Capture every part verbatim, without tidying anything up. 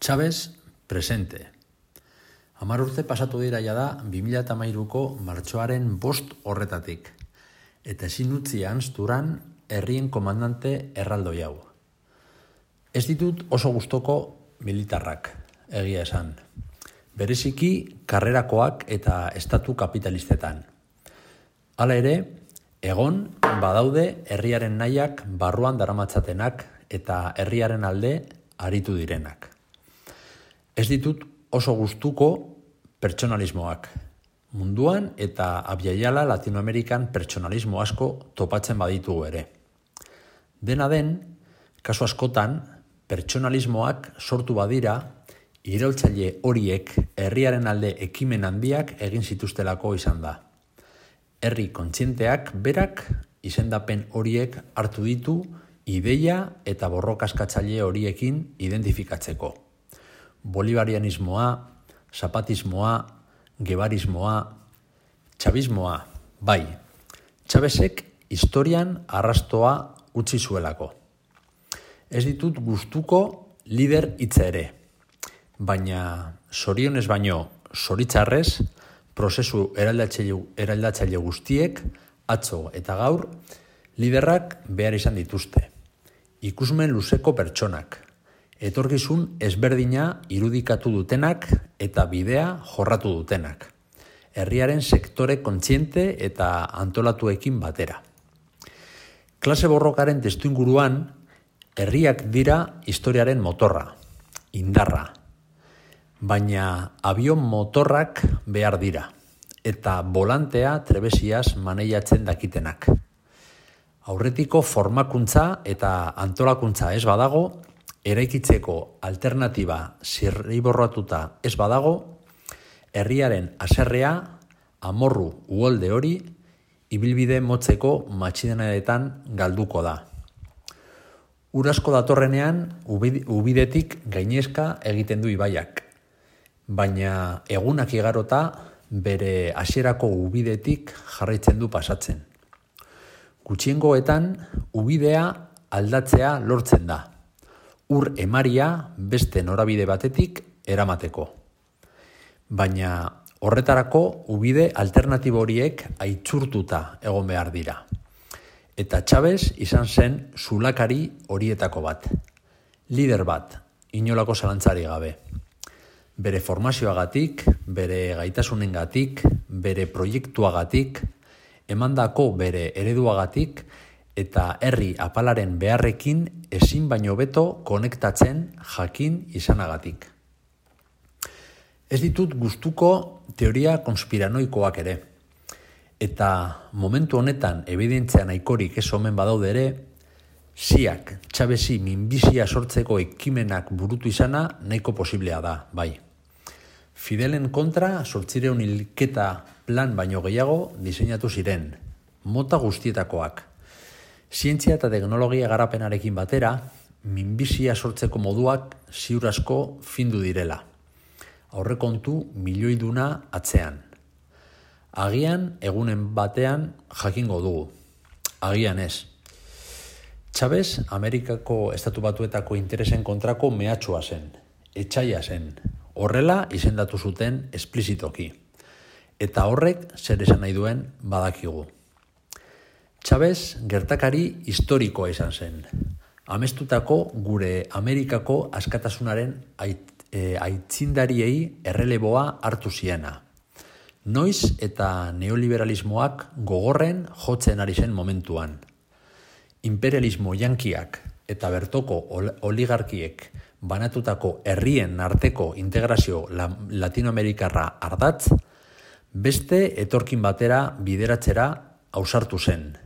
Chavez presente. Hamar urte pasatu dira jada bi mila hamairuko martxoaren bost horretatik. Eta ezin utzi ahazturan herrien komandante erraldoi hau. Ez ditut oso gustoko militarrak, egia esan. Bereziki karrerakoak eta estatu kapitalistetan. Hala ere, egon badaude herriaren nahiak barruan daramatzatenak eta herriaren alde aritu direnak. Ez ditut oso gustuko pertsonalismoak. Munduan eta abiaiala Latinoamerikan pertsonalismo asko topatzen baditugu ere. Dena den, kasu askotan, pertsonalismoak sortu badira, iraultzaile horiek herriaren alde ekimen handiak egin zituztelako izan da. Herri kontzienteak berak izendapen horiek hartu ditu ideia eta borrokaskatzaile horiekin identifikatzeko. Bolivarianismoa, zapatismoa, gebarismoa, txabismoa, bai, Chavezek historian arrastoa utzi zuelako. Ez ditut gustuko lider hitza ere, baina zorionez baino zoritzarrez, prozesu eraldatzaile, eraldatzaile guztiek, atzo eta gaur, liderrak behar izan dituzte. Ikusmen luzeko pertsonak, etorkizun ezberdina irudikatu dutenak eta bidea jorratu dutenak. Herriaren sektore kontziente eta antolatuekin batera. Klase borrokaren testuinguruan, herriak dira historiaren motorra, indarra. Baina abion motorrak behar dira, eta volantea trebesiaz maneiatzen dakitenak. Aurretiko formakuntza eta antolakuntza ez badago, eraikitzeko alternatiba zirriborratuta ez badago, herriaren haserrea, amorru uholde hori, ibilbide motzeko matxidenadetan galduko da. Urasko datorrenean, ubidetik gainezka egiten du ibaiak, baina egunak igarota bere hasierako ubidetik jarraitzen du pasatzen. Gutxiengoetan, ubidea aldatzea lortzen da. Ur emaria beste norabide batetik eramateko. Baina horretarako ubide alternatibo horiek aitzurtuta egon behar dira. Eta Chavez izan zen zulakari horietako bat. Lider bat, inolako zalantzari gabe. Bere formazioagatik, bere gaitasunengatik, bere proiektuagatik, emandako bere ereduagatik, eta herri apalaren beharrekin ezin baino beto konektatzen jakin izanagatik. Ez ditut gustuko teoria konspiranoikoak ere, eta momentu honetan ebidentzia nahikorik ez omen badaude ere, ziak Chavezi minbizia sortzeko ekimenak burutu izana nahiko posiblea da, bai. Fidelen kontra zortziehun hilketa plan baino gehiago diseinatu ziren, mota guztietakoak. Zientzia eta teknologia garapenarekin batera, minbizia sortzeko moduak ziur asko findu direla. Aurrekontu milioiduna atzean. Agian egunen batean jakingo dugu. Agian ez. Chavez Amerikako estatu batuetako interesen kontrako mehatxua zen. Etsaia zen. Horrela izendatu zuten esplizitoki. Eta horrek zer esan nahi duen badakigu. Chavez gertakari historikoa izan zen. Amestutako gure Amerikako askatasunaren ait, e, aitzindariei erreleboa hartu ziena. Noiz eta neoliberalismoak gogorren jotzen ari zen momentuan. Imperialismo yankiak eta bertoko oligarkiek banatutako herrien arteko integrazio latinoamerikarra ardatz, beste etorkin batera bideratzera ausartu zen.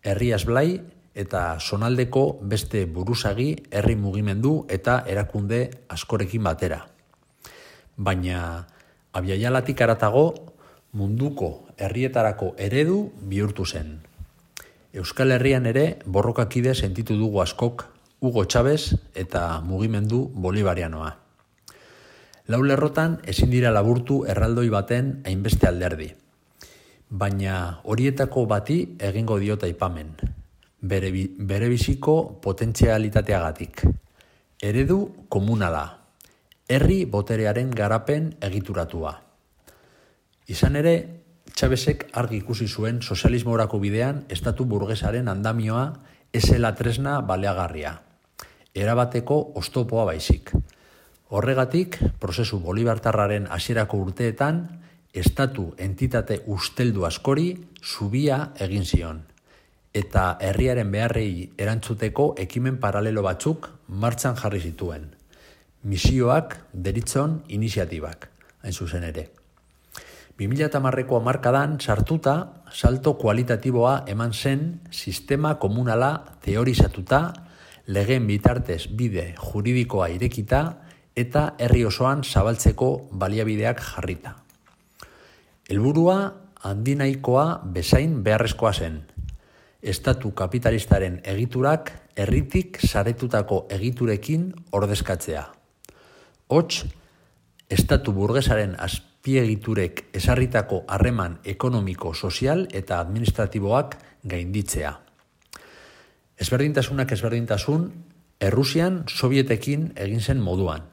Herriaz blai eta zonaldeko beste buruzagi herri mugimendu eta erakunde askorekin batera. Baina abiaialatik haratago munduko herrietarako eredu bihurtu zen. Euskal Herrian ere borrokakide sentitu dugu askok Hugo Chavez eta mugimendu bolivarianoa. Lau lerrotan ezin dira laburtu erraldoi baten hainbeste alderdi. Baina horietako bati egingo diot aipamen, bere, bere biziko potentzialitateagatik. Eredu komunala, herri boterearen garapen egituratua. Izan ere, Chavezek argi ikusi zuen sozialismorako bidean estatu burgesaren andamioa esela tresna baleagarria, erabateko oztopoa baizik. Horregatik, prozesu bolibartarraren hasierako urteetan, estatu entitate usteldu askori zubia egin zion, eta herriaren beharrei erantzuteko ekimen paralelo batzuk martxan jarri zituen. Misioak deritzon iniziatibak, hain zuzen ere. bi mila hamareko hamarkadan sartuta, salto kualitatiboa eman zen sistema komunala teorizatuta, legeen bitartez bide juridikoa irekita eta herri osoan zabaltzeko baliabideak jarrita. Helburua handinaikoa bezain beharrezkoa zen. Estatu kapitalistaren egiturak herritik saretutako egiturekin ordezkatzea. Hots, estatu burgesaren azpiegiturek esarritako harreman ekonomiko, sozial eta administratiboak gainditzea. Ezberdintasunak ezberdintasun, Errusian Sovietekin egin zen moduan.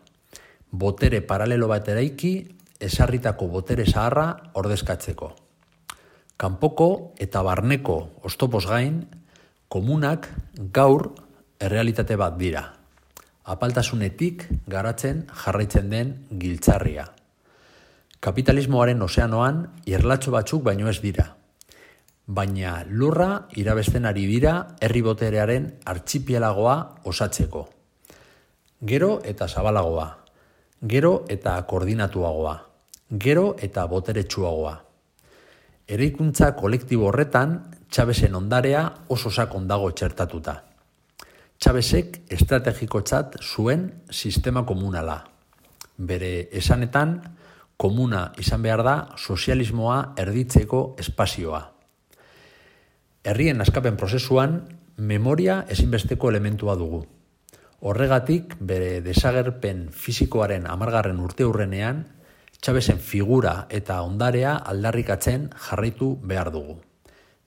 Botere paralelo bat eraiki, esarritako botere zaharra ordezkatzeko. Kanpoko eta barneko oztopoz gain, komunak gaur errealitate bat dira. Apaltasunetik garatzen jarraitzen den giltzarria. Kapitalismoaren ozeanoan irlatxo batzuk baino ez dira. Baina lurra irabesten ari dira herri boterearen artxipielagoa osatzeko. Gero eta zabalagoa, gero eta koordinatuagoa, gero eta boteretsuagoa. Eraikuntza kolektibo horretan, Chavezen ondarea oso sakon dago txertatuta. Chavezek estrategikotzat zuen sistema komunala. Bere esanetan, komuna izan behar da sozialismoa erditzeko espazioa. Herrien askapen prozesuan, memoria ezinbesteko elementua dugu. Horregatik, bere desagerpen fisikoaren hamargarren urteurrenean, Chavezen figura eta ondarea aldarrikatzen jarraitu behar dugu.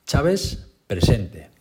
Chavez presente.